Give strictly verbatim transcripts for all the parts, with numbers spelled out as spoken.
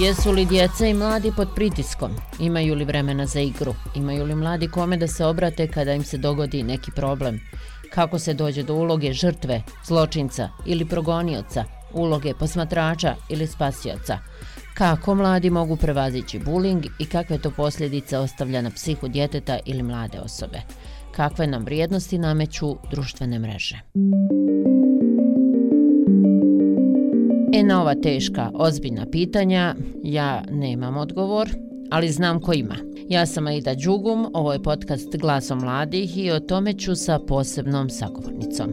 Jesu li djeca i mladi pod pritiskom? Imaju li vremena za igru? Imaju li mladi kome da se obrate kada im se dogodi neki problem? Kako se dođe do uloge žrtve, zločinca ili progonioca, uloge posmatrača ili spasioca? Kako mladi mogu prevazići buling i kakve to posljedice ostavlja na psihu djeteta ili mlade osobe? Kakve nam vrijednosti nameću društvene mreže? E na ova teška, ozbiljna pitanja ja nemam odgovor, ali znam ko ima. Ja sam Aida Đugum, ovo je podcast Glasom mladih i o tome ću sa posebnom sagovornicom.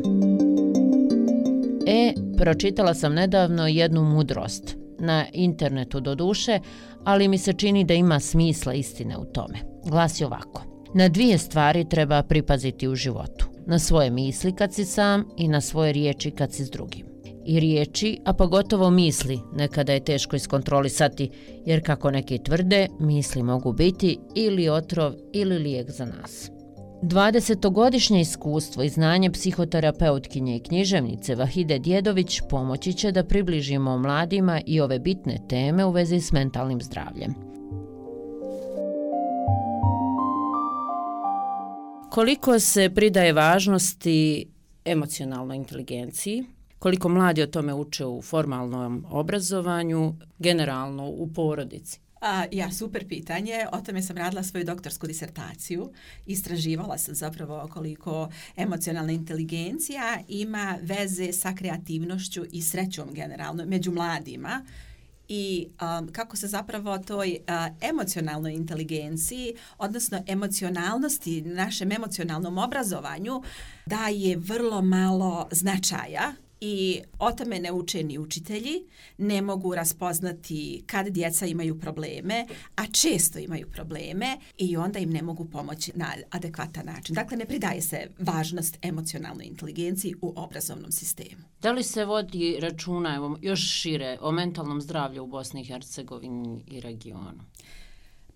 E, pročitala sam nedavno jednu mudrost, na internetu doduše, ali mi se čini da ima smisla istine u tome. Glasi ovako: na dvije stvari treba pripaziti u životu. Na svoje misli kad si sam i na svoje riječi kad si s drugim. I riječi, a pogotovo misli, nekada je teško iskontrolisati, jer kako neki tvrde, misli mogu biti ili otrov ili lijek za nas. dvadesetogodišnje iskustvo i znanje psihoterapeutkinje i književnice Vahide Djedović pomoći će da približimo mladima i ove bitne teme u vezi s mentalnim zdravljem. Koliko se pridaje važnosti emocionalnoj inteligenciji? Koliko mladi o tome uče u formalnom obrazovanju, generalno u porodici? A, ja, super pitanje. O tome sam radila svoju doktorsku disertaciju. Istraživala sam zapravo koliko emocionalna inteligencija ima veze sa kreativnošću i srećom generalno među mladima. I um, kako se zapravo toj uh, emocionalnoj inteligenciji, odnosno emocionalnosti, našem emocionalnom obrazovanju daje vrlo malo značaja. I o tome ne uče ni učitelji, ne mogu raspoznati kad djeca imaju probleme, a često imaju probleme i onda im ne mogu pomoći na adekvatan način. Dakle, ne pridaje se važnost emocionalnoj inteligenciji u obrazovnom sistemu. Da li se vodi računa, evo, još šire, o mentalnom zdravlju u Bosni i Hercegovini i regionu?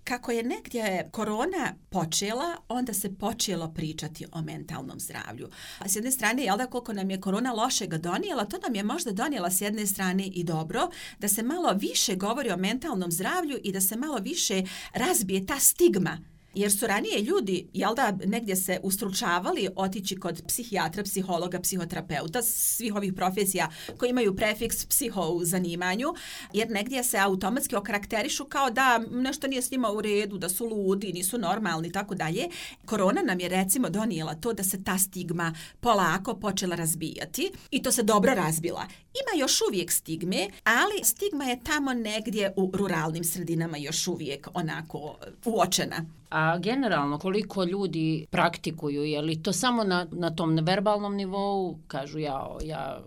Kako je negdje korona počela, onda se počelo pričati o mentalnom zdravlju. A s jedne strane, jel da koliko nam je korona lošega donijela, to nam je možda donijela s jedne strane i dobro, da se malo više govori o mentalnom zdravlju i da se malo više razbije ta stigma. Jer su ranije ljudi, jel da, negdje se ustručavali otići kod psihijatra, psihologa, psihoterapeuta, svih ovih profesija koji imaju prefiks psiho u zanimanju, jer negdje se automatski okarakterišu kao da nešto nije s njima u redu, da su ludi, nisu normalni i tako dalje. Korona nam je recimo donijela to da se ta stigma polako počela razbijati i to se dobro razbila. Ima još uvijek stigme, ali stigma je tamo negdje u ruralnim sredinama još uvijek onako uočena. A generalno, koliko ljudi praktikuju, je li to samo na, na tom neverbalnom nivou, kažu ja, ja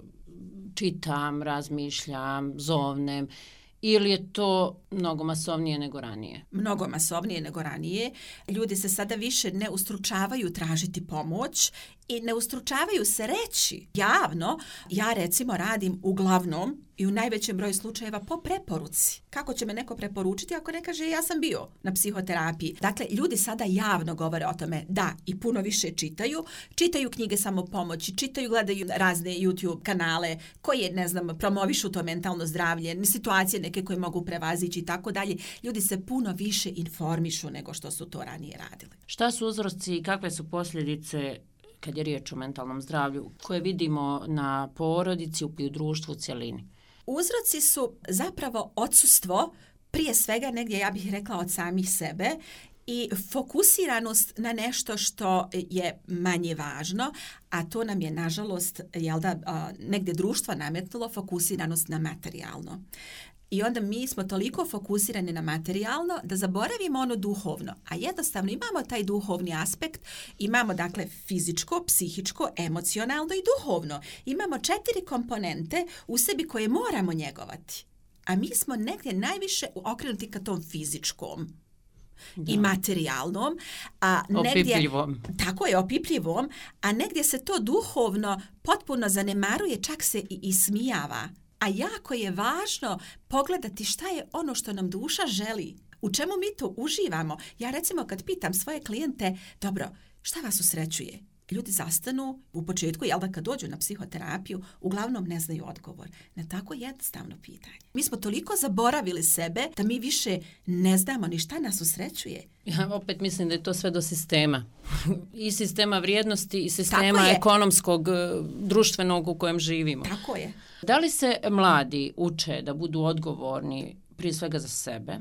čitam, razmišljam, zovnem, ili je to mnogo masovnije nego ranije? Mnogo masovnije nego ranije. Ljudi se sada više ne ustručavaju tražiti pomoć i ne ustručavaju se reći javno. Ja recimo radim uglavnom i u najvećem broju slučajeva po preporuci. Kako će me neko preporučiti ako ne kaže ja sam bio na psihoterapiji? Dakle, ljudi sada javno govore o tome da i puno više čitaju. Čitaju knjige samopomoći, čitaju, gledaju razne YouTube kanale koje, ne znam, promovišu to mentalno zdravlje, situacije neke koje mogu prevazići i tako dalje. Ljudi se puno više informišu nego što su to ranije radili. Šta su uzroci i kakve su posljedice kad je riječ o mentalnom zdravlju koje vidimo na porodici i u društvu u cjelini? Uzroci su zapravo odsustvo, prije svega negdje ja bih rekla od samih sebe, i fokusiranost na nešto što je manje važno, a to nam je nažalost, jel da, negdje društvo nametnulo fokusiranost na materijalno. I onda mi smo toliko fokusirani na materijalno da zaboravimo ono duhovno, a jednostavno imamo taj duhovni aspekt, imamo dakle fizičko, psihičko, emocionalno i duhovno. Imamo četiri komponente u sebi koje moramo njegovati, a mi smo negdje najviše okrenuti ka tom fizičkom. Da. I materijalnom, a negdje, opipljivom. Tako je, opipljivom, a negdje se to duhovno potpuno zanemaruje, čak se i ismijava. A jako je važno pogledati šta je ono što nam duša želi, u čemu mi to uživamo. Ja recimo kad pitam svoje klijente, dobro, šta vas usrećuje? ljudi zastanu u početku, jel da kad dođu na psihoterapiju, uglavnom ne znaju odgovor na tako jednostavno pitanje. Mi smo toliko zaboravili sebe da mi više ne znamo ni šta nas usrećuje. Ja opet mislim da je to sve do sistema. I sistema vrijednosti i sistema ekonomskog, društvenog u kojem živimo. Tako je. Da li se mladi uče da budu odgovorni prije svega za sebe?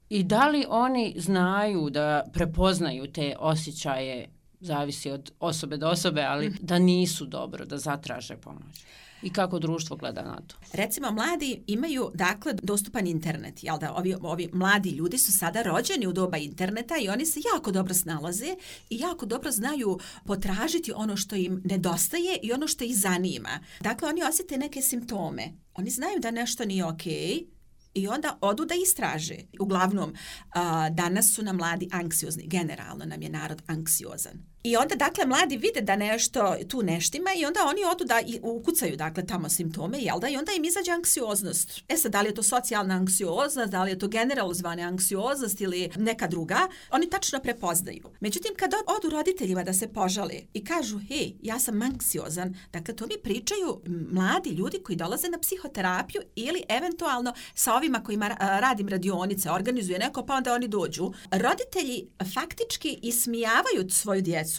I da li oni znaju da prepoznaju te osjećaje, zavisi od osobe do osobe, ali da nisu dobro, da zatraže pomoć? I kako društvo gleda na to? Recimo, mladi imaju, dakle, dostupan internet. Jel da, ovi, ovi mladi ljudi su sada rođeni u doba interneta i oni se jako dobro snalaze i jako dobro znaju potražiti ono što im nedostaje i ono što ih zanima. Dakle, oni osjete neke simptome. Oni znaju da nešto nije okej, i onda odu da istraže. Uglavnom, a, danas su nam mladi anksiozni. Generalno nam je narod anksiozan. I onda, dakle, mladi vide da nešto tu neštima i onda oni odu da ukucaju, dakle, tamo simptome, jel da? I onda im izađe anksioznost. E sad, da li je to socijalna anksioznost, da li je to generalizovana anksioznost ili neka druga, oni tačno prepoznaju. Međutim, kad odu roditeljima da se požale i kažu, hej, ja sam anksiozan, dakle, to mi pričaju mladi ljudi koji dolaze na psihoterapiju ili eventualno sa ovima kojima radim radionice, organizuje neko, pa onda oni dođu. Roditelji faktički ismijavaju svoju djecu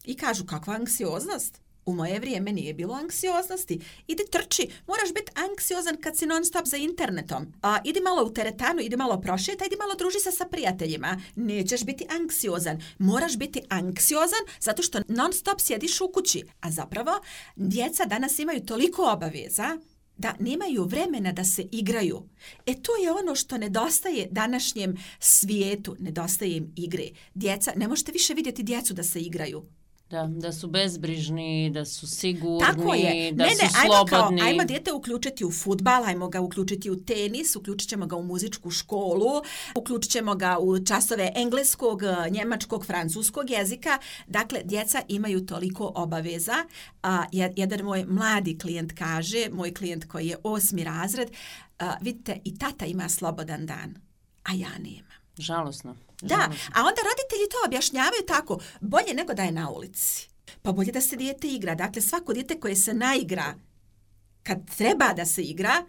i kažu, kakva anksioznost? U moje vrijeme nije bilo anksioznosti. Idi trči, moraš biti anksiozan kad si non stop za internetom. A, idi malo u teretanu, idi malo prošeta, idi malo druži se sa prijateljima. Nećeš biti anksiozan. Moraš biti anksiozan zato što non stop sjediš u kući. A zapravo, djeca danas imaju toliko obaveza da nemaju vremena da se igraju. E to je ono što nedostaje današnjem svijetu, nedostaje im igre. Djeca, ne možete više vidjeti djecu da se igraju. Da, da su bezbrižni, da su sigurni, Tako je. da ne, su ne, slobodni. Ajmo, ajmo djete uključiti u fudbal, ajmo ga uključiti u tenis, uključit ćemo ga u muzičku školu, uključit ćemo ga u časove engleskog, njemačkog, francuskog jezika. Dakle, djeca imaju toliko obaveza. A, jedan moj mladi klijent kaže, moj klijent koji je osmi razred, a, vidite, i tata ima slobodan dan, a ja nemam. Žalosno. Da, a onda roditelji to objašnjavaju tako, bolje nego da je na ulici. Pa bolje da se dijete igra. Dakle, svako dijete koje se naigra kad treba da se igra,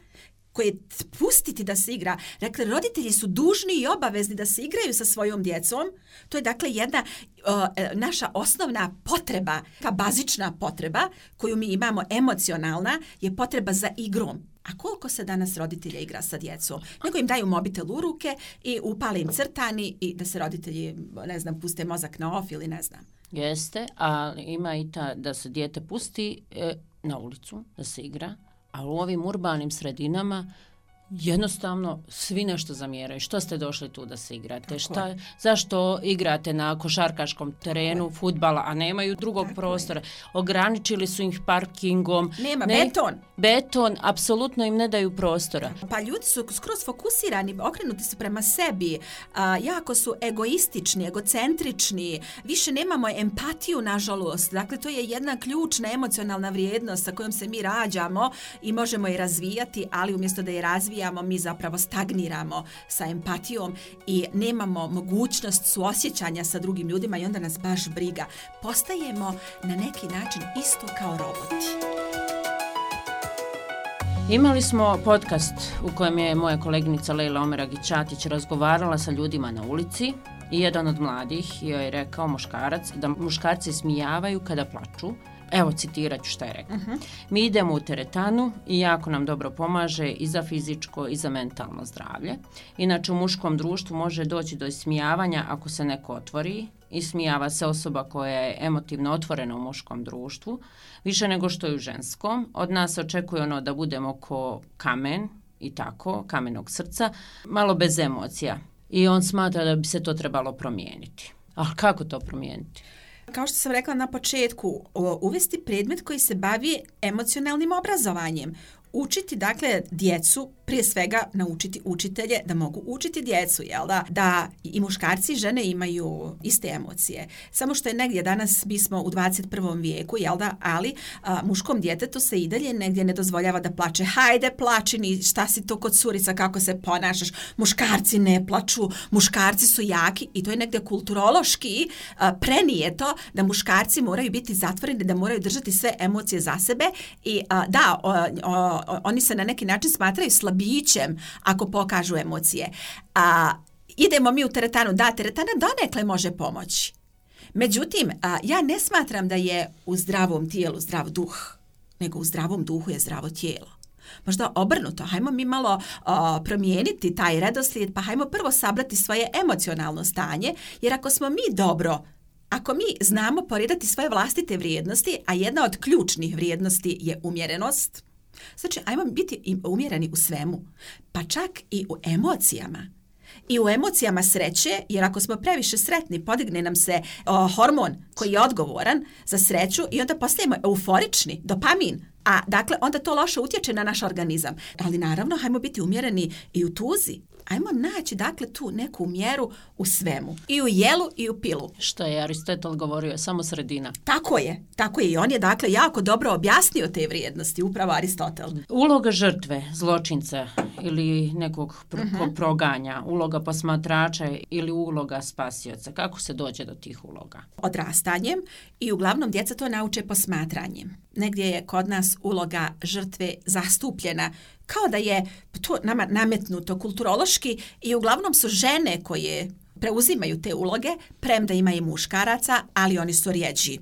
koje pustiti da se igra. Dakle, roditelji su dužni i obavezni da se igraju sa svojom djecom. To je, dakle, jedna uh, naša osnovna potreba, ta bazična potreba koju mi imamo, emocionalna, je potreba za igrom. A koliko se danas roditelja igra sa djecom? Nego im daju mobitel u ruke i upale im crtani i da se roditelji, ne znam, puste mozak na off ili ne znam. Jeste, ali ima i ta da se dijete pusti e, na ulicu, da se igra, a u ovim urbanim sredinama jednostavno svi nešto zamjeraju. Što ste došli tu da se igrate? Šta, zašto igrate na košarkaškom terenu fudbala, a nemaju drugog Tako prostora? Je. Ograničili su ih parkingom. Nema, ne, beton. Beton, apsolutno im ne daju prostora. Pa ljudi su skroz fokusirani, okrenuti su prema sebi, a, jako su egoistični, egocentrični, više nemamo empatiju, nažalost. Dakle, to je jedna ključna emocionalna vrijednost sa kojom se mi rađamo i možemo je razvijati, ali umjesto da je razvijamo, mi zapravo stagniramo sa empatijom i nemamo mogućnost suosjećanja sa drugim ljudima i onda nas baš briga. Postajemo na neki način isto kao roboti. Imali smo podcast u kojem je moja koleginica Lejla Omeragić-Ćatić razgovarala sa ljudima na ulici i jedan od mladih joj je rekao, muškarac, da muškarci smijavaju kada plaču. Evo, citirat ću šta je rekao. Uh-huh. Mi idemo u teretanu i jako nam dobro pomaže i za fizičko i za mentalno zdravlje. Inače, u muškom društvu može doći do ismijavanja ako se neko otvori. Ismijava se osoba koja je emotivno otvorena u muškom društvu, više nego što je u ženskom. Od nas očekuje ono da budemo ko kamen i tako, kamenog srca, malo bez emocija. I on smatra da bi se to trebalo promijeniti. Ali kako to promijeniti? Kao što sam rekla na početku, uvesti predmet koji se bavi emocionalnim obrazovanjem. Učiti, dakle, djecu prije svega naučiti učitelje da mogu učiti djecu, jel da? Da i muškarci i žene imaju iste emocije. Samo što je negdje danas, mi smo u dvadeset prvom vijeku, jel da? Ali a, muškom djetetu se i dalje negdje ne dozvoljava da plače. Hajde, plačini, šta si to kod curica, kako se ponašaš? Muškarci ne plaču, muškarci su jaki i to je negdje kulturološki a, prenijeto da muškarci moraju biti zatvoreni, da moraju držati sve emocije za sebe i a, da, o, o, oni se na neki način smatraju slabićem ako pokažu emocije. A, idemo mi u teretanu, da, teretana donekle može pomoći. Međutim, a, ja ne smatram da je u zdravom tijelu zdrav duh, nego u zdravom duhu je zdravo tijelo. Možda obrnuto, hajmo mi malo o, promijeniti taj redoslijed, pa hajmo prvo sabrati svoje emocionalno stanje, jer ako smo mi dobro, ako mi znamo poredati svoje vlastite vrijednosti, a jedna od ključnih vrijednosti je umjerenost, znači ajmo biti umjereni u svemu, pa čak i u emocijama. I u emocijama sreće, jer ako smo previše sretni, podigne nam se o, hormon koji je odgovoran za sreću i onda postajemo euforični, dopamin. A dakle, onda to loše utječe na naš organizam. Ali naravno, hajmo biti umjereni i u tuzi. Ajmo naći, dakle, tu neku mjeru u svemu. I u jelu i u pilu. Što je Aristotel govorio, samo sredina. Tako je, tako je. I on je, dakle, jako dobro objasnio te vrijednosti, upravo Aristotel. Uloga žrtve, zločinca ili nekog pro- uh-huh. proganja, uloga posmatrača ili uloga spasioca. Kako se dođe do tih uloga? Odrastanjem i uglavnom djeca to nauče posmatranjem. Negdje je kod nas uloga žrtve zastupljena kao da je to nama nametnuto kulturološki i uglavnom su žene koje preuzimaju te uloge, premda ima i muškaraca, ali oni su rjeđi.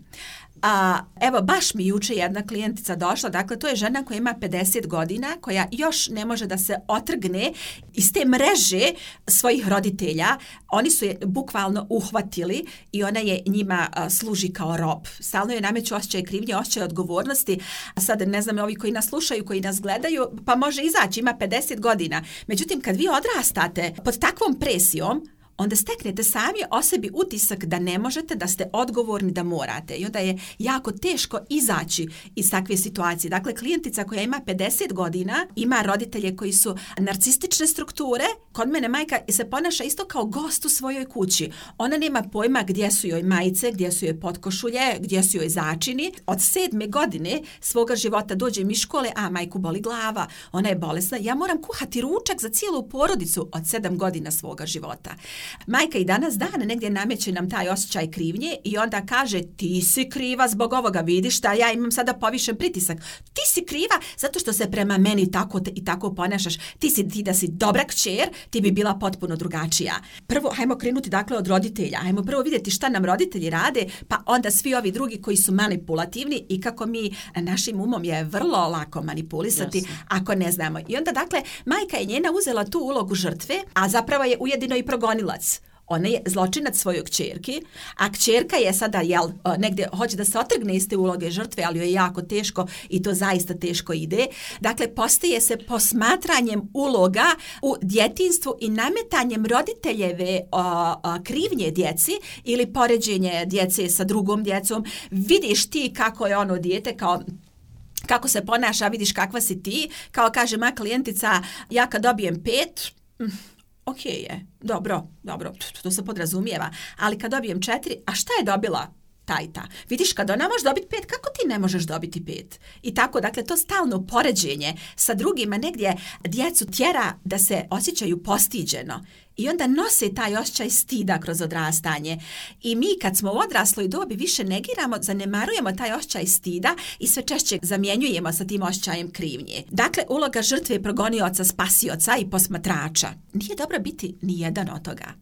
A, evo, baš mi juče jedna klijentica došla, dakle, to je žena koja ima pedeset godina, koja još ne može da se otrgne iz te mreže svojih roditelja. Oni su je bukvalno uhvatili i ona je njima a, služi kao rob. Stalno je nameću osjećaj krivnje, osjećaj odgovornosti. A sad, ne znam, ovi koji nas slušaju, koji nas gledaju, pa može izaći, ima pedeset godina. Međutim, kad vi odrastate pod takvom presijom, onda steknete sami o sebi utisak da ne možete, da ste odgovorni, da morate. I onda je jako teško izaći iz takve situacije. Dakle, klijentica koja ima pedeset godina, ima roditelje koji su narcistične strukture. Kod mene majka se ponaša isto kao gost u svojoj kući. Ona nema pojma gdje su joj majice, gdje su joj potkošulje, gdje su joj začini. Od sedme godine svoga života dođe mi škole, a majku boli glava, ona je bolesna. Ja moram kuhati ručak za cijelu porodicu od sedam godina svoga života. Majka i danas dana negdje nameće nam taj osjećaj krivnje i onda kaže ti si kriva zbog ovoga, vidiš da ja imam sada povišen pritisak. Ti si kriva zato što se prema meni tako te, i tako ponašaš. Ti si ti da si dobra kćer, ti bi bila potpuno drugačija. Prvo, hajmo krenuti dakle od roditelja. Hajmo prvo vidjeti šta nam roditelji rade, pa onda svi ovi drugi koji su manipulativni i kako mi našim umom je vrlo lako manipulisati Jasne. Ako ne znamo. I onda dakle, majka je njena uzela tu ulogu žrtve, a zapravo je ujedino i progonilac. Ona je zločinac svojoj kćerki, a kćerka je sada, jel, negdje hoće da se otrgne iz te uloge žrtve, ali joj je jako teško i to zaista teško ide. Dakle, postaje se posmatranjem uloga u djetinjstvu i nametanjem roditeljeve o, o, krivnje djeci ili poređenje djece sa drugom djecom. Vidiš ti kako je ono dijete, kao kako se ponaša, vidiš kakva si ti. Kao kaže moja klijentica, ja kad dobijem pet... Ok je, dobro, dobro, to se podrazumijeva, ali kad dobijem četiri, a šta je dobila ta i ta? Vidiš, kad ona može dobiti pet, kako ti ne možeš dobiti pet? I tako, dakle, to stalno poređenje sa drugima negdje djecu tjera da se osjećaju postiđeno. I onda nose taj osjećaj stida kroz odrastanje. I mi kad smo u odrasloj dobi više negiramo, zanemarujemo taj osjećaj stida i sve češće zamjenjujemo sa tim osjećajem krivnje. Dakle, uloga žrtve, progonioca, spasioca i posmatrača. Nije dobro biti ni jedan od toga.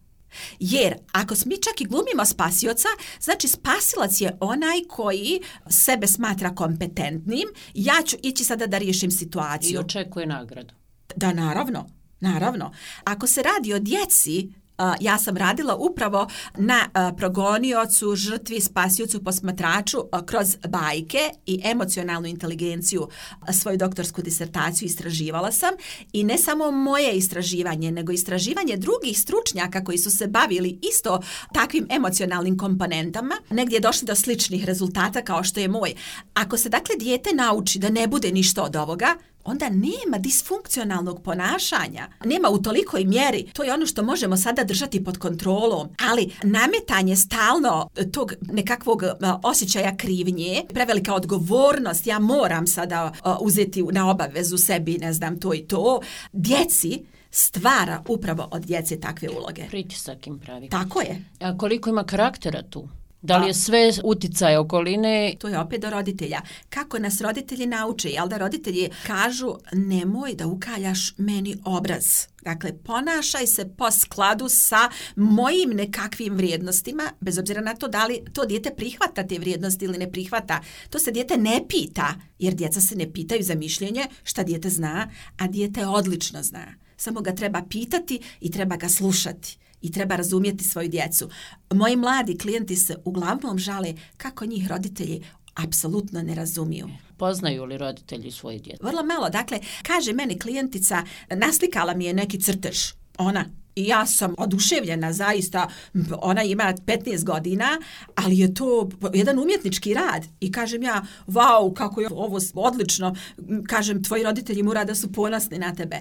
Jer ako mi čak i glumimo spasioca, znači spasilac je onaj koji sebe smatra kompetentnim, ja ću ići sada da riješim situaciju. I očekuje nagradu. Da, naravno. Naravno, ako se radi o djeci, uh, ja sam radila upravo na uh, progoniocu, žrtvi, spasiocu, posmatraču uh, kroz bajke i emocionalnu inteligenciju. Uh, svoju doktorsku disertaciju istraživala sam i ne samo moje istraživanje, nego istraživanje drugih stručnjaka koji su se bavili isto takvim emocionalnim komponentama, negdje došli do sličnih rezultata kao što je moj. Ako se dakle dijete nauči da ne bude ništa od ovoga, onda nema disfunkcionalnog ponašanja. Nema u tolikoj mjeri. To je ono što možemo sada držati pod kontrolom. Ali nametanje stalno tog nekakvog osjećaja krivnje, prevelika odgovornost, ja moram sada uzeti na obavezu sebi, ne znam, to i to, djeci stvara upravo od djece takve uloge. Pritisak im pravi. Tako je. A koliko ima karaktera tu? Da li je sve uticaje okoline? To je opet do roditelja. Kako nas roditelji nauče? Jel da roditelji kažu nemoj da ukaljaš meni obraz. Dakle, ponašaj se po skladu sa mojim nekakvim vrijednostima, bez obzira na to da li to dijete prihvata te vrijednosti ili ne prihvata. To se dijete ne pita, jer djeca se ne pitaju za mišljenje šta dijete zna, a dijete odlično zna. Samo ga treba pitati i treba ga slušati. I treba razumjeti svoju djecu. Moji mladi klijenti se uglavnom žale kako njih roditelji apsolutno ne razumiju. Poznaju li roditelji svoje djece? Vrlo malo. Dakle, kaže meni klijentica, naslikala mi je neki crtež. Ona. I ja sam oduševljena, zaista, ona ima petnaest godina, ali je to jedan umjetnički rad. I kažem ja, vau, kako je ovo odlično. Kažem, tvoji roditelji mora da su ponosni na tebe.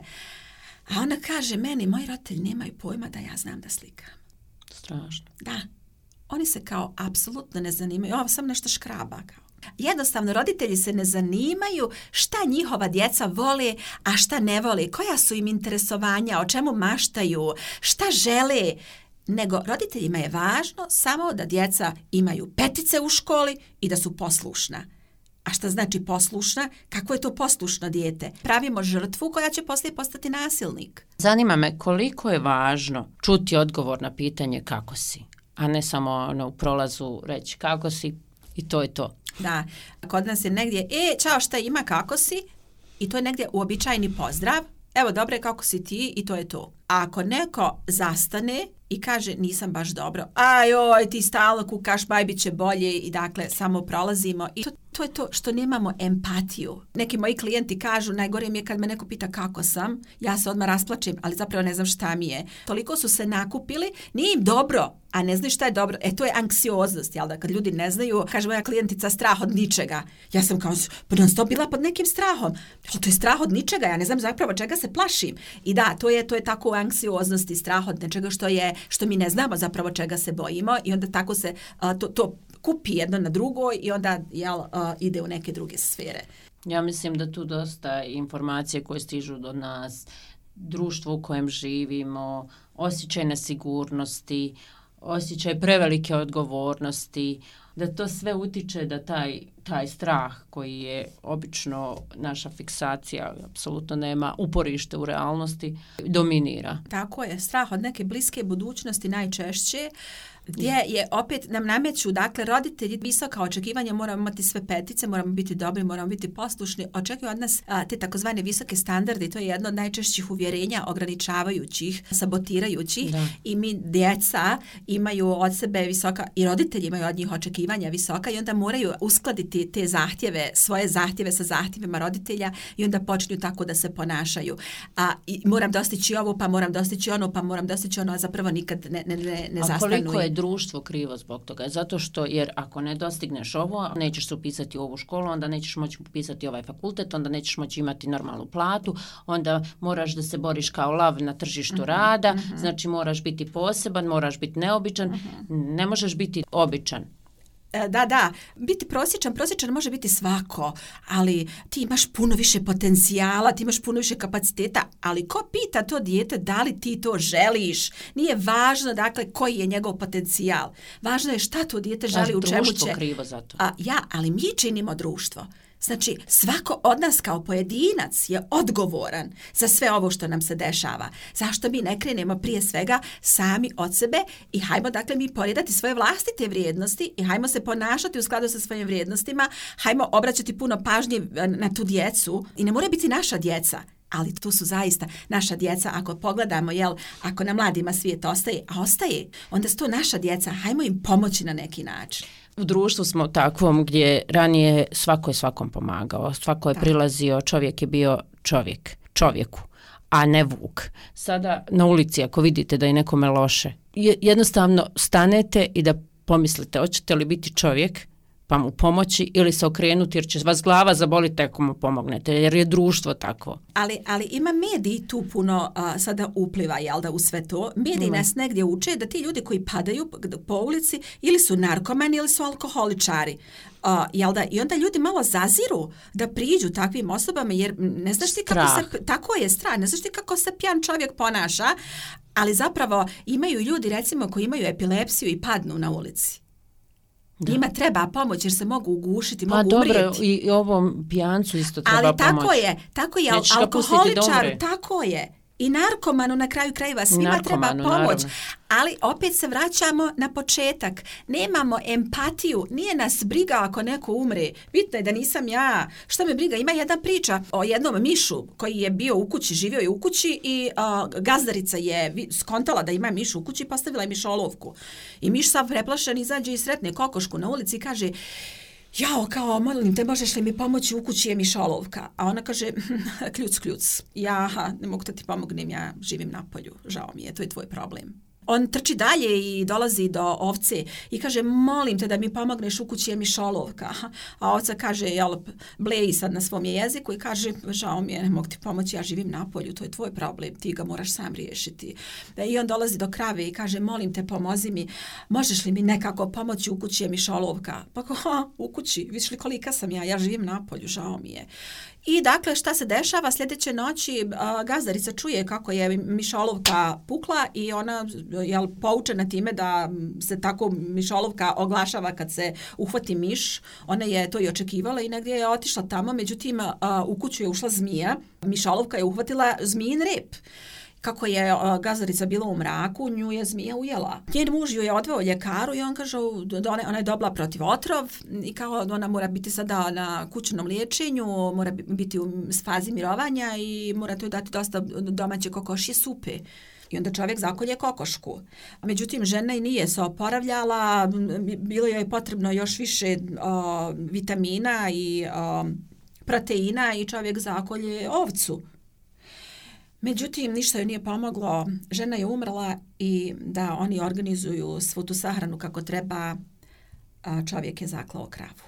A ona kaže meni, moji roditelji nemaju pojma da ja znam da slikam. Strašno. Da. Oni se kao apsolutno ne zanimaju. Ovo sam nešto škraba kao. Jednostavno, roditelji se ne zanimaju šta njihova djeca vole, a šta ne vole, koja su im interesovanja, o čemu maštaju, šta žele. Nego roditeljima je važno samo da djeca imaju petice u školi i da su poslušna. A šta znači poslušna? Kako je to poslušno dijete? Pravimo žrtvu koja će poslije postati nasilnik. Zanima me koliko je važno čuti odgovor na pitanje kako si, a ne samo ono, u prolazu reći kako si i to je to. Da, kod nas je negdje, e, čao, šta ima, kako si? I to je negdje uobičajeni pozdrav. Evo, dobre, kako si ti? I to je to. A ako neko zastane i kaže nisam baš dobro, ajoj, ti stalno kukaš, baj bit će bolje i dakle samo prolazimo. I to, to je to što nemamo empatiju. Neki moji klijenti kažu, najgore mi je kad me neko pita kako sam, ja se odmah rasplačem, ali zapravo ne znam šta mi je. Toliko su se nakupili, nije im dobro, a ne znaju šta je dobro. E, to je anksioznost, jel da? Kad ljudi ne znaju, kaže moja klijentica, strah od ničega. Ja sam kao, pa non stop bila pod nekim strahom. To je strah od ničega, ja ne znam zapravo čega se plašim. I da, to je, to je tako anksioznost i strah od nečega što je, što mi ne znamo zapravo čega se bojimo i onda tako se a, to, to kupi jedno na drugo i onda jel, a, ide u neke druge sfere. Ja mislim da tu dosta informacije koje stižu do nas, društvo u kojem živimo, osjećaj nesigurnosti, osjećaj prevelike odgovornosti, da to sve utiče da taj, taj strah koji je obično naša fiksacija, apsolutno nema uporište u realnosti, dominira. Tako je, strah od neke bliske budućnosti najčešće, gdje je opet nam nameću, dakle, roditelji visoka očekivanja, moramo imati sve petice, moramo biti dobri, moramo biti poslušni, očekuju od nas a, te takozvane visoke standarde, to je jedno od najčešćih uvjerenja ograničavajućih, sabotirajućih da. I mi djeca imaju od sebe visoka, i roditelji imaju od njih očekivanja visoka i onda moraju uskladiti te zahtjeve, svoje zahtjeve sa zahtjevima roditelja i onda počinju tako da se ponašaju. A i moram dostići ovo, pa moram dostići ono, pa moram dostići ono, a zapravo nikad ne, ne, ne, ne zastanu. Je društvo krivo zbog toga? Zato što, jer ako ne dostigneš ovo, nećeš se upisati u ovu školu, onda nećeš moći upisati ovaj fakultet, onda nećeš moći imati normalnu platu, onda moraš da se boriš kao lav na tržištu uh-huh, rada, uh-huh. Znači moraš biti poseban, moraš biti neobičan, uh-huh. Ne možeš biti običan. Da, da, biti prosječan, prosječan može biti svako, ali ti imaš puno više potencijala, ti imaš puno više kapaciteta, ali ko pita to dijete da li ti to želiš? Nije važno, dakle, koji je njegov potencijal. Važno je šta to dijete želi, u čemu će. Društvo krivo za to. A, ja, ali mi činimo društvo. Znači, svako od nas kao pojedinac je odgovoran za sve ovo što nam se dešava. Zašto mi ne krenemo prije svega sami od sebe i hajmo, dakle, mi poredati svoje vlastite vrijednosti i hajmo se ponašati u skladu sa svojim vrijednostima, hajmo obraćati puno pažnje na tu djecu i ne mora biti naša djeca. Ali tu su zaista naša djeca, ako pogledamo, jel, ako na mladima svijet ostaje, a ostaje, onda su to naša djeca, hajmo im pomoći na neki način. U društvu smo takvom gdje ranije svako je svakom pomagao, svako je da. Prilazio, čovjek je bio čovjek, čovjeku, a ne vuk. Sada na ulici ako vidite da je nekome loše, jednostavno stanete i da pomislite, hoćete li biti čovjek pa mu pomoći ili se okrenuti jer će vas glava zaboliti ako mu pomognete, jer je društvo takvo. Ali, ali ima mediji tu puno a, sada upliva, jel da, u sve to. Mediji mm. nas negdje uče da ti ljudi koji padaju po ulici ili su narkomani ili su alkoholičari. Uh, jel da? I onda ljudi malo zaziru da priđu takvim osobama jer ne znaš ti kako strah. se, tako je strah, ne znaš ti kako se pijan čovjek ponaša, ali zapravo imaju ljudi recimo koji imaju epilepsiju i padnu na ulici. Da. Njima treba pomoć jer se mogu ugušiti, pa mogu dobro, umrijeti. I, i ovom pijancu isto treba ali pomoć. Ali tako je, tako je, alkoholičar, tako je. I narkomanu na kraju krajeva svima narkomanu, treba pomoć. Naravno. Ali opet se vraćamo na početak. Nemamo empatiju. Nije nas briga ako neko umre. Bitno je da nisam ja. Što me briga? Ima jedna priča o jednom mišu koji je bio u kući, živio je u kući i uh, gazdarica je skontala da ima miš u kući i postavila je mišolovku. I miš sav preplašen izađe i sretne kokošku na ulici i kaže: jao, kao, molim te, možeš li mi pomoći, u kući je mišolovka? A ona kaže: kljuc, kljuc. Ja, ne mogu da ti pomognem, ja živim na polju. Žao mi je, to je tvoj problem. On trči dalje i dolazi do ovce i kaže: molim te da mi pomogneš, u kući je mišolovka. A ovca kaže, jel, bleji sad na svom jeziku i kaže: žao mi je, ne mogu ti pomoći, ja živim na polju, to je tvoj problem, ti ga moraš sam riješiti. I on dolazi do krave i kaže: molim te, pomozi mi, možeš li mi nekako pomoći, u kući je mišolovka? Pa ha, u kući, vidiš li kolika sam ja, ja živim na polju, žao mi je. I dakle, šta se dešava? Sljedeće noći a, gazdarica čuje kako je mišolovka pukla i ona je poučena time da se tako mišolovka oglašava kad se uhvati miš. Ona je to i očekivala i negdje je otišla tamo, međutim a, u kuću je ušla zmija. Mišolovka je uhvatila zmijin rep. Kako je uh, gazdarica bila u mraku, nju je zmija ujela. Njen muž ju je odveo ljekaru i on kaže da ona, ona je dobila protiv otrov i kao ona mora biti sada na kućnom liječenju, mora biti u fazi mirovanja i mora to dati dosta domaće kokošje supe. I onda čovjek zakolje kokošku. Međutim, žena i nije se oporavljala, bilo joj potrebno još više uh, vitamina i uh, proteina i čovjek zakolje ovcu. Međutim, ništa joj nije pomoglo, žena je umrla i da oni organizuju svu tu sahranu kako treba, a čovjek je zaklao kravu.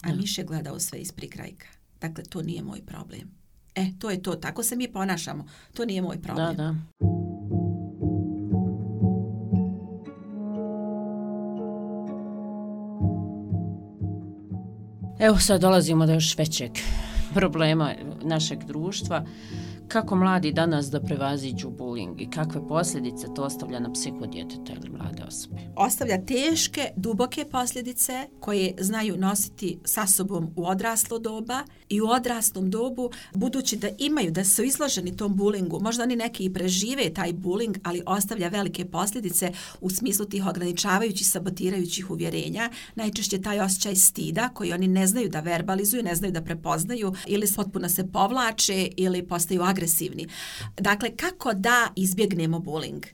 A miš je gledao sve iz prikrajka. Dakle, to nije moj problem. E, to je to, tako se mi ponašamo. To nije moj problem. Da, da. Evo sad dolazimo do još većeg problema našeg društva. Kako mladi danas da prevaziđu bullying i kakve posljedice to ostavlja na psihu djeteta ili mlade osobe? Ostavlja teške, duboke posljedice koje znaju nositi sa sobom u odraslo doba i u odraslom dobu, budući da imaju, da su izloženi tom bullyingu. Možda oni neki i prežive taj bullying, ali ostavlja velike posljedice u smislu tih ograničavajućih, sabotirajućih uvjerenja. Najčešće taj osjećaj stida koji oni ne znaju da verbalizuju, ne znaju da prepoznaju ili potpuno se povlače ili postaju agresivni. Dakle, kako da izbjegnemo bullying?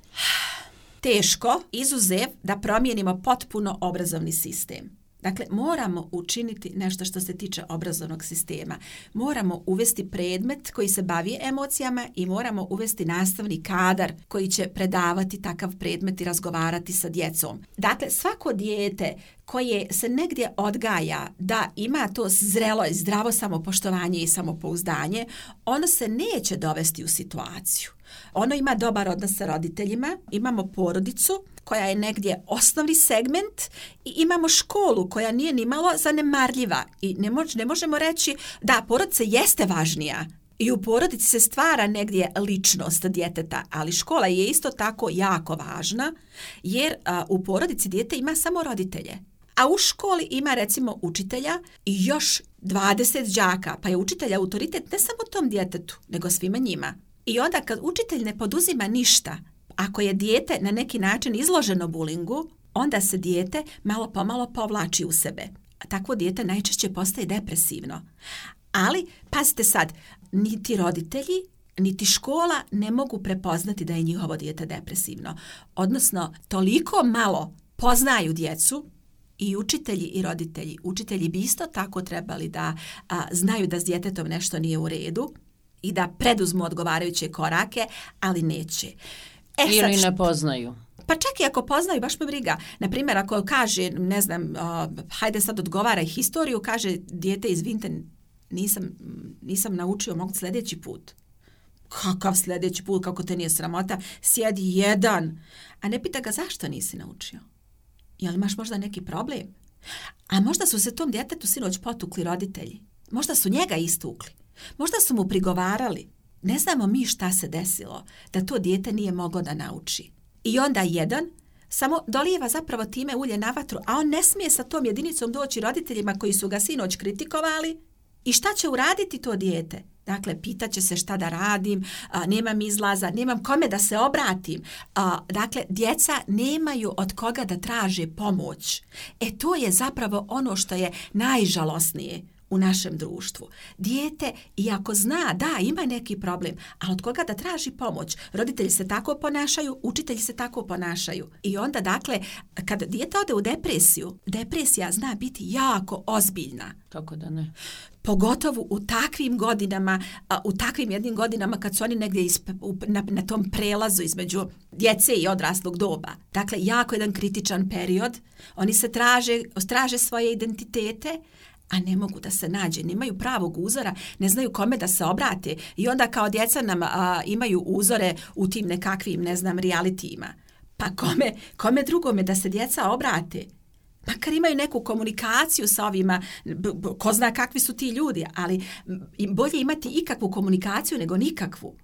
Teško, izuzev da promijenimo potpuno obrazovni sistem. Dakle, moramo učiniti nešto što se tiče obrazovnog sistema. Moramo uvesti predmet koji se bavi emocijama i moramo uvesti nastavni kadar koji će predavati takav predmet i razgovarati sa djecom. Dakle, svako dijete koje se negdje odgaja da ima to zrelo i zdravo samopoštovanje i samopouzdanje, ono se neće dovesti u situaciju. Ono ima dobar odnos sa roditeljima, imamo porodicu koja je negdje osnovni segment i imamo školu koja nije ni malo zanemarljiva i ne, mož, ne možemo reći da porodica jeste važnija i u porodici se stvara negdje ličnost djeteta, ali škola je isto tako jako važna jer a, u porodici dijete ima samo roditelje. A u školi ima recimo učitelja i još dvadeset đaka, pa je učitelj autoritet ne samo tom djetetu, nego svima njima. I onda kad učitelj ne poduzima ništa, ako je dijete na neki način izloženo bulingu, onda se dijete malo pomalo povlači u sebe. Takvo dijete najčešće postaje depresivno. Ali, pazite sad, niti roditelji, niti škola ne mogu prepoznati da je njihovo dijete depresivno. Odnosno, toliko malo poznaju djecu, i učitelji i roditelji. Učitelji bi isto tako trebali da a, znaju da s djetetom nešto nije u redu i da preduzmu odgovarajuće korake, ali neće. E, ili sad, ne poznaju. Pa čak i ako poznaju, baš me briga. Naprimjer, ako kaže, ne znam, uh, hajde sad odgovaraj historiju, kaže dijete, izvinite, nisam, nisam naučio, mogu sljedeći put. Kakav sljedeći put, kako te nije sramota? Sjedi jedan. A ne pita ga zašto nisi naučio. Jel imaš možda neki problem? A možda su se tom djetetu sinoć potukli roditelji. Možda su njega istukli. Možda su mu prigovarali. Ne znamo mi šta se desilo da to dijete nije moglo da nauči. I onda jedan samo dolijeva zapravo time ulje na vatru, a on ne smije sa tom jedinicom doći roditeljima koji su ga sinoć kritikovali. I šta će uraditi to dijete? Dakle, pitaće se šta da radim, a, nemam izlaza, nemam kome da se obratim. A, dakle, djeca nemaju od koga da traže pomoć. E to je zapravo ono što je najžalosnije u našem društvu. Dijete, iako zna, da, ima neki problem, ali od koga da traži pomoć? Roditelji se tako ponašaju, učitelji se tako ponašaju. I onda, dakle, kada dijete ode u depresiju, depresija zna biti jako ozbiljna. Kako da ne? Pogotovo u takvim godinama, u takvim jednim godinama kad su oni negdje isp, na, na tom prelazu između djece i odraslog doba. Dakle, jako jedan kritičan period. Oni se traže, traže svoje identitete, a ne mogu da se nađe, nemaju pravog uzora, ne znaju kome da se obrate. I onda kao djeca nam a, imaju uzore u tim nekakvim, ne znam, realitijima. Pa kome, kome drugome da se djeca obrate? Makar imaju neku komunikaciju sa ovima, ko zna kakvi su ti ljudi, ali bolje imati ikakvu komunikaciju nego nikakvu.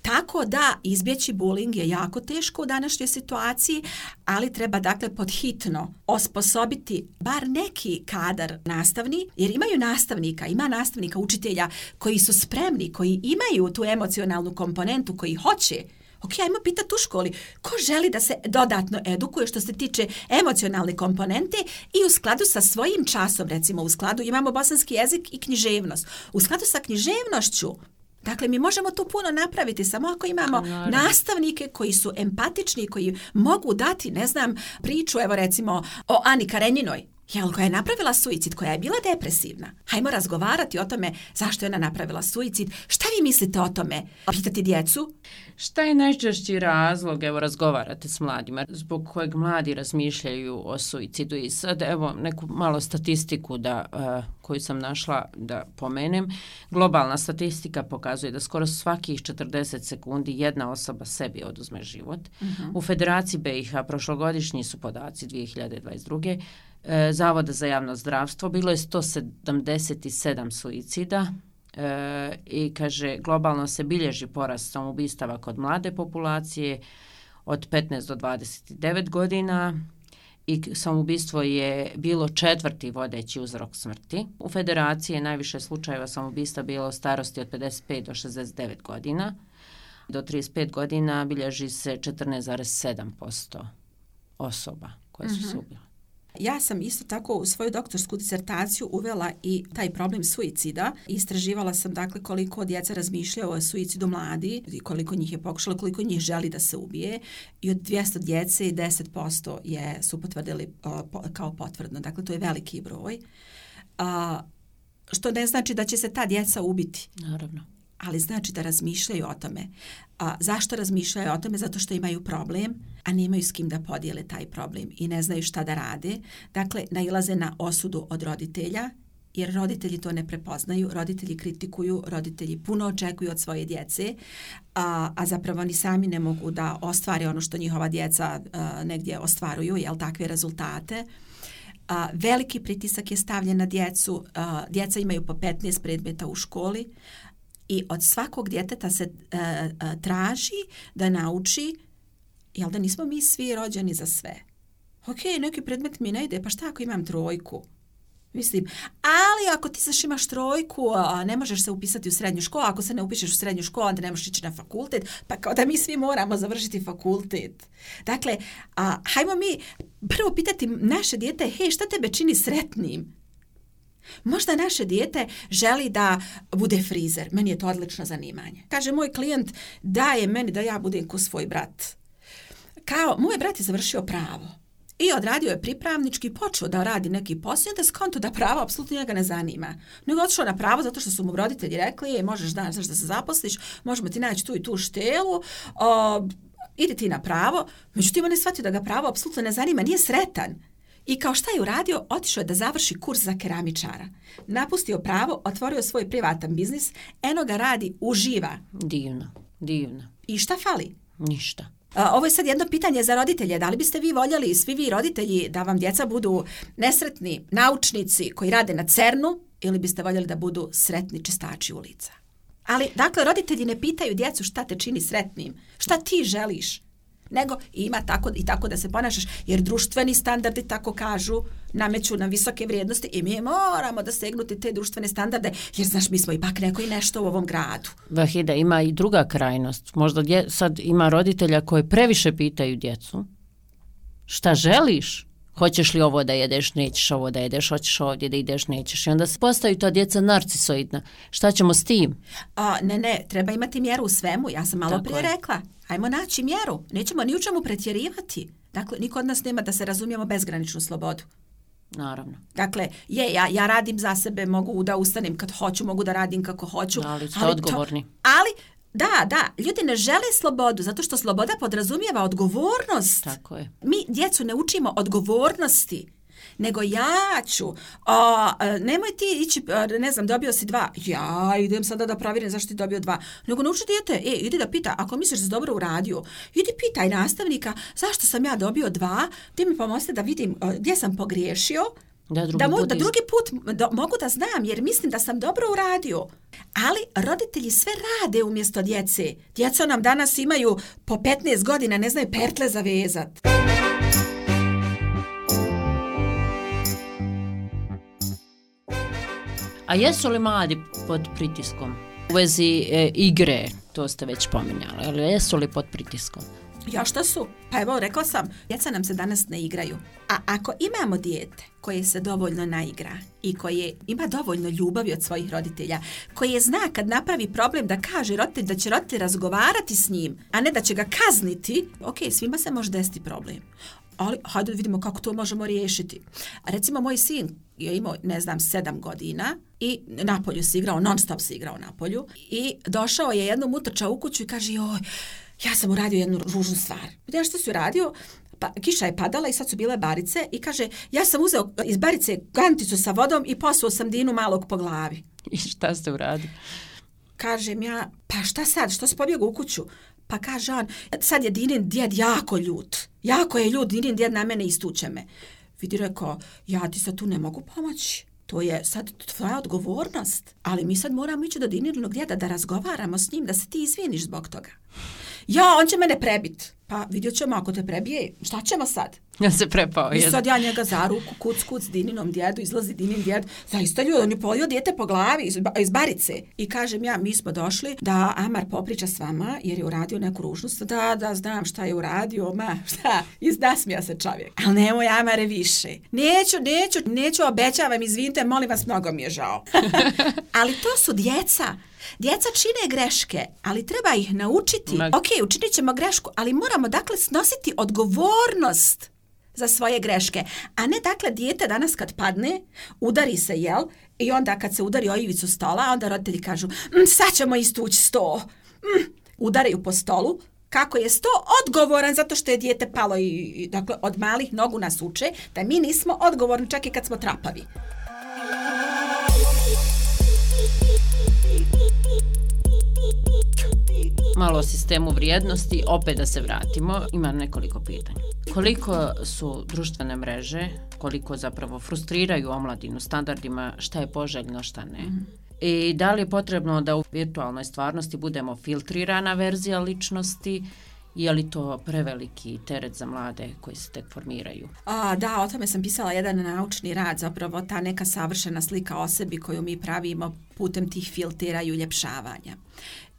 Tako da izbjeći bullying je jako teško u današnjoj situaciji, ali treba dakle podhitno osposobiti bar neki kadar nastavni, jer imaju nastavnika, ima nastavnika, učitelja koji su spremni, koji imaju tu emocionalnu komponentu, koji hoće. Ok, ajmo pitati u školi, ko želi da se dodatno edukuje što se tiče emocionalne komponente i u skladu sa svojim časom, recimo u skladu imamo bosanski jezik i književnost. U skladu sa književnošću, dakle, mi možemo tu puno napraviti samo ako imamo Naravno. nastavnike koji su empatični, koji mogu dati, ne znam, priču, evo recimo, o Ani Karenjinoj, jel, koja je napravila suicid, koja je bila depresivna. Hajmo razgovarati o tome zašto je ona napravila suicid. Šta vi mislite o tome? Pitati djecu? Šta je najčešći razlog, evo, razgovarate s mladima, zbog kojeg mladi razmišljaju o suicidu? I sad, evo, neku malo statistiku da, uh, koju sam našla da pomenem. Globalna statistika pokazuje da skoro svakih četrdeset sekundi jedna osoba sebi oduzme život. Uh-huh. U Federaciji B i H prošlogodišnji su podaci dvije hiljade dvadeset druge. Zavoda za javno zdravstvo bilo je sto sedamdeset sedam suicida e, i kaže globalno se bilježi porast samoubistava kod mlade populacije od petnaest do dvadeset devet godina i samoubistvo je bilo četvrti vodeći uzrok smrti. U Federaciji je najviše slučajeva samoubistva bilo u starosti od pedeset pet do šezdeset devet godina. Do trideset pet godina bilježi se četrnaest zarez sedam posto osoba koje su se ubile. Ja sam isto tako u svoju doktorsku disertaciju uvela i taj problem suicida. Istraživala sam dakle koliko djeca razmišljaju o suicidu mladi, koliko njih je pokušalo, koliko njih želi da se ubije. I od dvjesto djece deset posto je, su potvrdili uh, po, kao potvrdno. Dakle, to je veliki broj. Uh, što ne znači da će se ta djeca ubiti. Naravno. Ali znači da razmišljaju o tome. A zašto razmišljaju o tome? Zato što imaju problem, a nemaju s kim da podijele taj problem i ne znaju šta da rade. Dakle, nailaze na osudu od roditelja, jer roditelji to ne prepoznaju, roditelji kritikuju, roditelji puno očekuju od svoje djece, a, a zapravo oni sami ne mogu da ostvare ono što njihova djeca a, negdje ostvaruju, jel, takve rezultate. A, veliki pritisak je stavljen na djecu, a, djeca imaju po petnaest predmeta u školi, i od svakog djeteta se uh, uh, traži da nauči, jel da nismo mi svi rođeni za sve. Ok, neki predmet mi ne ide, pa šta ako imam trojku? Mislim, ali ako ti saš imaš trojku, a ne možeš se upisati u srednju školu, ako se ne upišeš u srednju školu, onda ne možeš ići na fakultet, pa kao da mi svi moramo završiti fakultet. Dakle, a, hajmo mi prvo pitati naše dijete, hej, šta tebe čini sretnim? Možda naše dijete želi da bude frizer. Meni je to odlično zanimanje. Kaže moj klijent, daje meni da ja budem ko svoj brat. Kao, moj brat je završio pravo. I odradio je pripravnički, počeo da radi neki posao, da skonto da pravo apsolutno njega ne zanima. Nego otišao na pravo zato što su mu roditelji rekli, je, možeš da, znaš da se zaposliš, možemo ti naći tu i tu štelu, o, idi ti na pravo, međutim on je shvatio da ga pravo apsolutno ne zanima, nije sretan. I kao šta je uradio? Otišao je da završi kurs za keramičara. Napustio pravo, otvorio svoj privatan biznis, eno ga radi, uživa. Divno, divno. I šta fali? Ništa. Ovo je sad jedno pitanje za roditelje. Da li biste vi voljeli, svi vi roditelji, da vam djeca budu nesretni naučnici koji rade na cernu ili biste voljeli da budu sretni čistači ulica? Ali, dakle, roditelji ne pitaju djecu šta te čini sretnim, šta ti želiš, nego ima tako i tako da se ponašaš, jer društveni standardi, tako kažu, nameću na visoke vrijednosti i mi moramo da segnuti te društvene standarde, jer znaš, mi smo ipak neko i nešto u ovom gradu. Vahida, ima i druga krajnost. Možda dje, sad ima roditelja koji previše pitaju djecu šta želiš? Hoćeš li ovo da jedeš, nećeš ovo da jedeš, hoćeš ovdje da ideš, nećeš. I onda se postaju ta djeca narcisoidna. Šta ćemo s tim? A, ne, ne, treba imati mjeru u svemu. Ja sam malo tako prije je. rekla. Ajmo naći mjeru. Nećemo ni u čemu pretjerivati. Dakle, niko od nas nema da se razumijemo bezgraničnu slobodu. Naravno. Dakle, je, ja, ja radim za sebe, mogu da ustanem kad hoću, mogu da radim kako hoću. Ali ste ali odgovorni. To, ali, da, da, ljudi ne žele slobodu, zato što sloboda podrazumijeva odgovornost. Tako je. Mi djecu ne učimo odgovornosti, nego ja ću, o, nemoj ti ići, ne znam, dobio si dva, ja idem sada da provjerim zašto ti dobio dva, nego nauči dijete, e, idi da pita, ako misliš da si dobro uradio, idi pitaj nastavnika zašto sam ja dobio dva, ti mi pomozite da vidim gdje sam pogriješio, Da drugi, da, mo, put, da drugi put do, mogu da znam, jer mislim da sam dobro uradio. Ali roditelji sve rade umjesto djece. Djeca nam danas imaju po petnaest godina, ne znaju pertle zavezat. A jesu li mladi pod pritiskom? U vezi e, igre, to ste već pominjali, ali jesu li pod pritiskom? Ja šta su? Pa evo, rekla sam, djeca nam se danas ne igraju. A ako imamo dijete koje se dovoljno naigra i koje ima dovoljno ljubavi od svojih roditelja, koje zna kad napravi problem da kaže roditelj da će roditelj razgovarati s njim, a ne da će ga kazniti, ok, svima se može desiti problem. Ali hajde vidimo kako to možemo riješiti. Recimo, moj sin je imao, ne znam, sedam godina i napolju se igrao, non stop se igrao napolju i došao je jednom utrčao u kuću i kaže, joj, ja sam uradio jednu ružnu stvar. Vidim što si uradio? Pa, kiša je padala i sad su bile barice i kaže, ja sam uzeo iz barice kanticu sa vodom i posuo sam Dinu malog po glavi. I šta ste uradili? Kažem ja, pa šta sad, što si pobjegao u kuću? Pa kaže on, sad je Dinin djed jako ljut. Jako je ljut, Dinin djed na mene istuče me. Vidi, rekao, ja ti sad tu ne mogu pomoći. To je sad tvoja odgovornost. Ali mi sad moramo ići do Dininog djeda da razgovaramo s njim, da se ti izviniš zbog toga. Ja, on će mene prebit. Pa vidjet ćemo ako te prebije. Šta ćemo sad? Ja se prepao. I sad ja njega za ruku, kuc, kuc, Dininom djedu, izlazi Dinin djed. Zaista ljudi, on je polio dijete po glavi iz, iz barice. I kažem ja, mi smo došli da Amar popriča s vama, jer je uradio neku ružnost. Da, da, znam šta je uradio, ma, šta, izdasmija se čovjek. Ali nemoj Amare više. Neću, neću, neću, obećavam, izvinite, molim vas, mnogo mi je žao. Ali to su djeca. Djeca čine greške, ali treba ih naučiti. Ma... Ok, učinit ćemo grešku, ali moramo dakle snositi odgovornost za svoje greške. A ne dakle dijete danas kad padne, udari se, jel? I onda kad se udari o ivicu stola, onda roditelji kažu, mmm, sad ćemo istući sto. Mm, udaraju po stolu. Kako je sto odgovoran zato što je dijete palo i, i dakle od malih nogu nas uče da mi nismo odgovorni čak i kad smo trapavi. Malo o sistemu vrijednosti, opet da se vratimo, imam nekoliko pitanja. Koliko su društvene mreže, koliko zapravo frustriraju omladinu standardima, šta je poželjno, šta ne? Mm. I da li je potrebno da u virtualnoj stvarnosti budemo filtrirana verzija ličnosti, je li to preveliki teret za mlade koji se tek formiraju? A, da, o tome sam pisala jedan naučni rad, zapravo ta neka savršena slika o sebi koju mi pravimo putem tih filtera i uljepšavanja.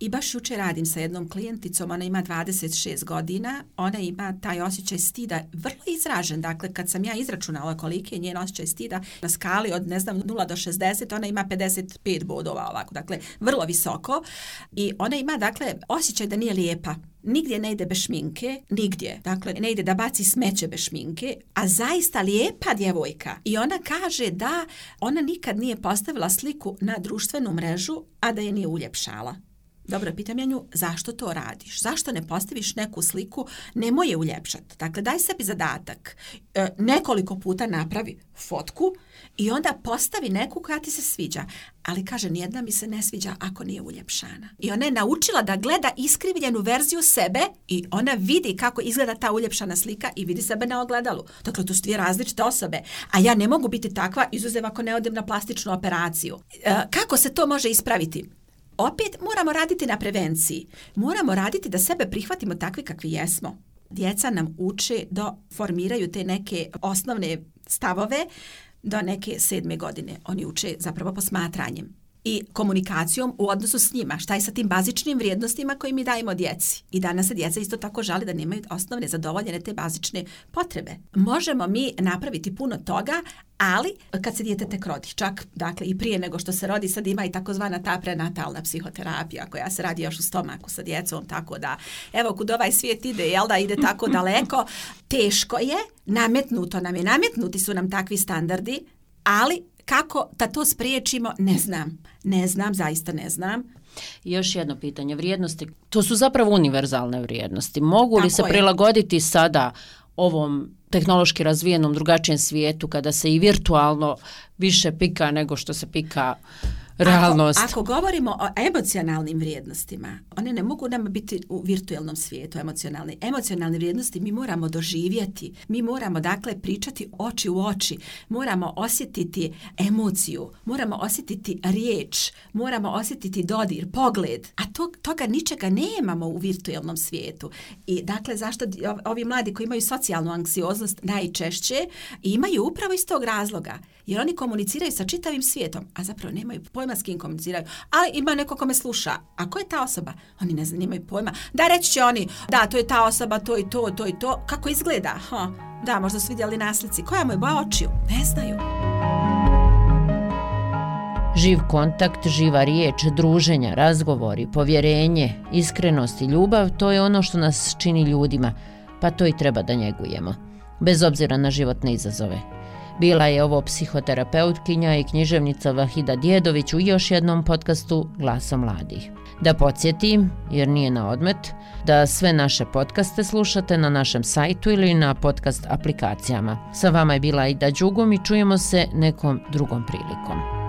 I baš jučer radim sa jednom klijenticom, ona ima dvadeset šest godina, ona ima taj osjećaj stida vrlo izražen, dakle kad sam ja izračunala koliki je njen osjećaj stida na skali od ne znam nula do šezdeset, ona ima pedeset pet bodova ovako, dakle vrlo visoko i ona ima dakle osjećaj da nije lijepa. Nigdje ne ide bez šminke, nigdje. Dakle, ne ide da baci smeće bez šminke, a zaista lijepa djevojka. I ona kaže da ona nikad nije postavila sliku na društvenu mrežu, a da je nije uljepšala. Dobro, pitam ja nju, zašto to radiš? Zašto ne postaviš neku sliku, nemoj je uljepšati. Dakle, daj sebi zadatak. E, nekoliko puta napravi fotku i onda postavi neku koja ti se sviđa. Ali kaže, nijedna mi se ne sviđa ako nije uljepšana. I ona je naučila da gleda iskrivljenu verziju sebe i ona vidi kako izgleda ta uljepšana slika i vidi sebe na ogledalu. Dakle, to su dvije različite osobe. A ja ne mogu biti takva, izuzev ako ne odem na plastičnu operaciju. E, kako se to može ispraviti? Opet moramo raditi na prevenciji. Moramo raditi da sebe prihvatimo takvi kakvi jesmo. Djeca nam uče da formiraju te neke osnovne stavove do neke sedme godine. Oni uče zapravo posmatranjem i komunikacijom u odnosu s njima. Šta je sa tim bazičnim vrijednostima koje mi dajemo djeci? I danas se djeca isto tako žali da nemaju osnovne zadovoljene te bazične potrebe. Možemo mi napraviti puno toga, ali kad se dijete tek rodi, čak dakle i prije nego što se rodi, sad ima i takozvana ta prenatalna psihoterapija koja se radi još u stomaku sa djecom, tako da evo kud ovaj svijet ide, jel da ide tako daleko, teško je, nametnuto nam je, nametnuti su nam takvi standardi, ali kako da to spriječimo, ne znam. Ne znam, zaista ne znam. Još jedno pitanje, vrijednosti. To su zapravo univerzalne vrijednosti. Mogu li Tako se je. prilagoditi sada ovom tehnološki razvijenom drugačijem svijetu kada se i virtualno više pika nego što se pika realnost? Ako, ako govorimo o emocionalnim vrijednostima, one ne mogu nam biti u virtualnom svijetu emocionalne. Emocionalne vrijednosti mi moramo doživjeti. Mi moramo dakle pričati oči u oči. Moramo osjetiti emociju. Moramo osjetiti riječ. Moramo osjetiti dodir, pogled. A to, toga ničega nemamo u virtualnom svijetu. I dakle, zašto ovi mladi koji imaju socijalnu anksioznost najčešće imaju upravo iz tog razloga. Jer oni komuniciraju sa čitavim svijetom, a zapravo nemaju pojma s kim komuniciraju. Ali ima neko ko me sluša. A ko je ta osoba? Oni ne znaju, nemaju pojma. Da, reći će oni, da, to je ta osoba, to i to, to i to. Kako izgleda? Ha, da, možda su vidjeli na slici. Koja mu je boja očiju? Ne znaju. Živ kontakt, živa riječ, druženja, razgovori, povjerenje, iskrenost i ljubav, to je ono što nas čini ljudima, pa to i treba da njegujemo, bez obzira na životne izazove. Bila je ovo psihoterapeutkinja i književnica Vahida Djedović u još jednom podcastu Glasom mladih. Da podsjetim, jer nije na odmet, da sve naše podcaste slušate na našem sajtu ili na podcast aplikacijama. Sa vama je bila Aida Đugum i čujemo se nekom drugom prilikom.